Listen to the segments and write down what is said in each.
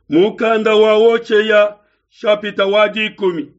Mukanda wa Hoshea shapita wa dikumi.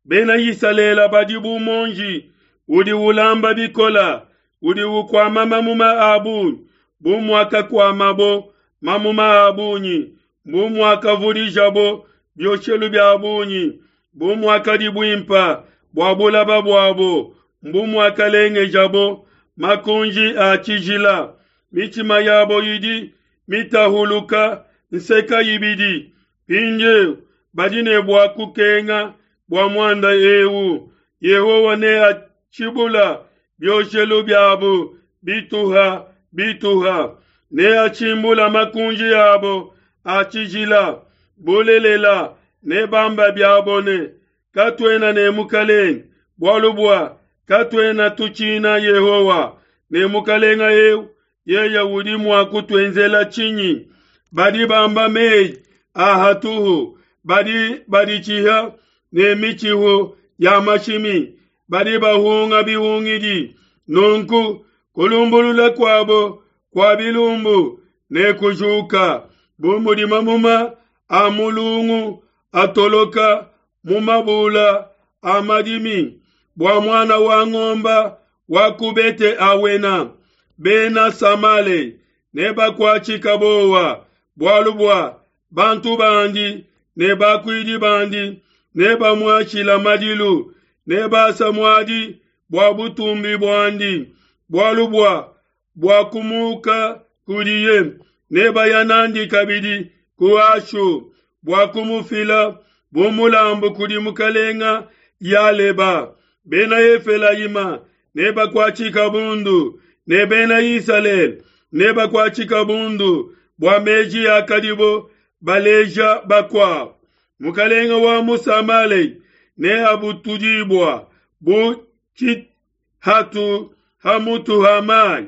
Bena Isalele badi bu muonji udi ulamba bikola, udi ukuama mamuma a bungi, bu muakakuamabo mamuma a bungi, bu muakavudijabo bioshelu bia bungi, bu muakadi buimpa bua bulaba buabo, mbu muakalengejabo makunji a tshijila. Mitshima yabo idi mitahuluka nseka ibidi. Mpindieu badi ne bua kukenga bua muanda eu. Yehowa neatshibula bioshelu biabu bituha bituha, neatshimbula makunji abo a tshijila. Bulelela, nebamba biabo ne, Katuena ne mukalenge, bualu bua katuena tutshina Yehowa, ne mukalenge eu yeye udi mua kutuenzela tshinyi? Badi bamba meyi a hatuhu, badi baditshiha ne mitshihu ya mashimi, badi bahunga bihungidi. Nunku kulumbulula kuabo kua bilumbu nekujuka bu mudi mamuma a mulungu atoloka mu mabula a madimi, bua muana wa ngomba wa ku Bete Awena. Bena Samale nebakuatshika bowa, bualu bua bantu bandi ne bakuidi bandi nebamuashila madilu, nebasa muadi bua butumbi buandi, bualu bua buakumuka kudiye, nebaya nandi kabidi ku Ashu bua kumufila bu mulambu kudi mukalenga Yaleba. Bena Efelayima nebakuatshika bundu, ne bena Isalele nebakuatshika bundu bua meji akadibo baleja bakuabo. Mukalenga wa mu Samalei neabutudibua bu tshihatu ha mutu ha mai.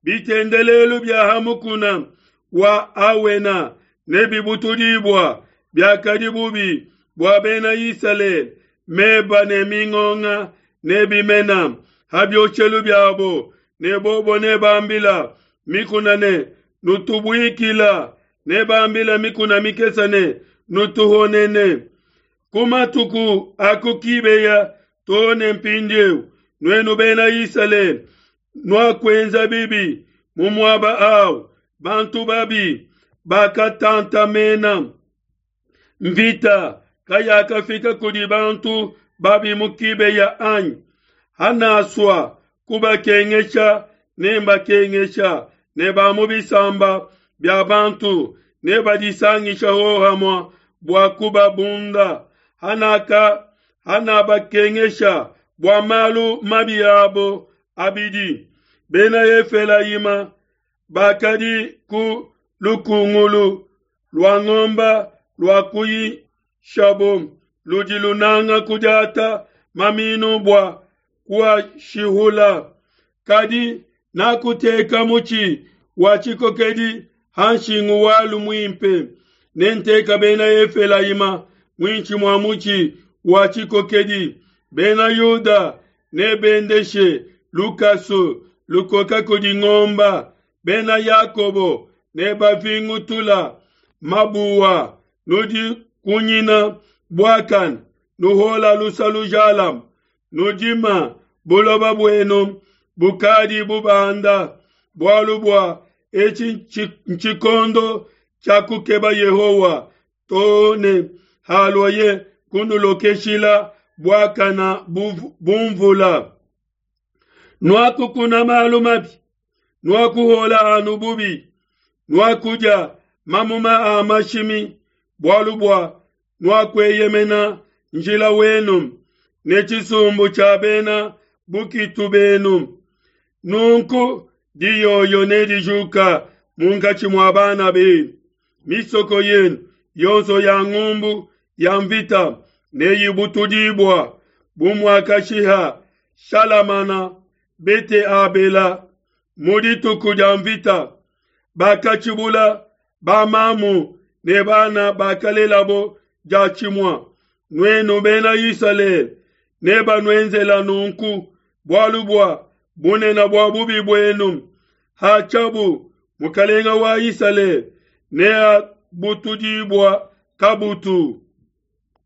Bitendelelu bia ha mukuna wa Awena nebibutudibua, biakadi bubi bua bena Isalele, meba ne mingonga nebimena ha bioshelu biabo, ne bobo nebambila mikuna ne, Nutubuikila, nebambila mikuna mikese ne, Nutuhonene. Ku matuku a ku Kibeya too ne mpindieu, nuenu bena Isalele, nuakuenza bibi mu muaba au. Bantu babi bakatantamena mvita kayakafika kudi bantu babi mu Kibeya anyi? Hanasua kubakengesha nembakengesha, ne ba mu bisamba bia bantu nebadisangisha hohamue bua kubabunda. Hanaka hanabakengesha bua malu mabi abo abidi. Bena Efelayima bakadi ku lukungulu lua ngomba lua kuyishabo, ludi lunanga kudiata maminu bua kuashihula. Kadi nakuteka mutshi wa tshikokedi ha nshingu walu muimpe, nenteka Bena Efelayima muinshi mua mutshi wa tshikokedi. Bena Yuda nebendeshe lukasu lukoka kudi ngomba, Bena Yakobo nebavingutula mabuwa. Nudi kunyina buakane, nuhola lusa lujalame, nudima buloba buenu bukadi bubanda, bualu bua etshi ntshikondo tshia kukeba Yehowa, too ne haluaye kunulokeshila buakana bu mvula. Nuakukuna malu mabi, nuakuhola anu bubi, nuakudia mamuma a mashimi, bualu bua nuakueyemena njila wenu ne tshisumbu tshia bena bukitu benu. Nunku diyoyo nedijuka munkatshi mua bana benu, misoko yenu yonso ya ngumbu ya mvita neyibutudibua, bu muakashiha Shalamana Bete-Abela mu dituku dia mvita. Bakatshibula bamamu ne bana bakalelabo diatshimue. Nuenu bena Isalele, nebanuenzela nunku bualu bua bunene bua bubi buenu. Hatshiabu, mukalenga wa Isalele neabutudibua. kabutu.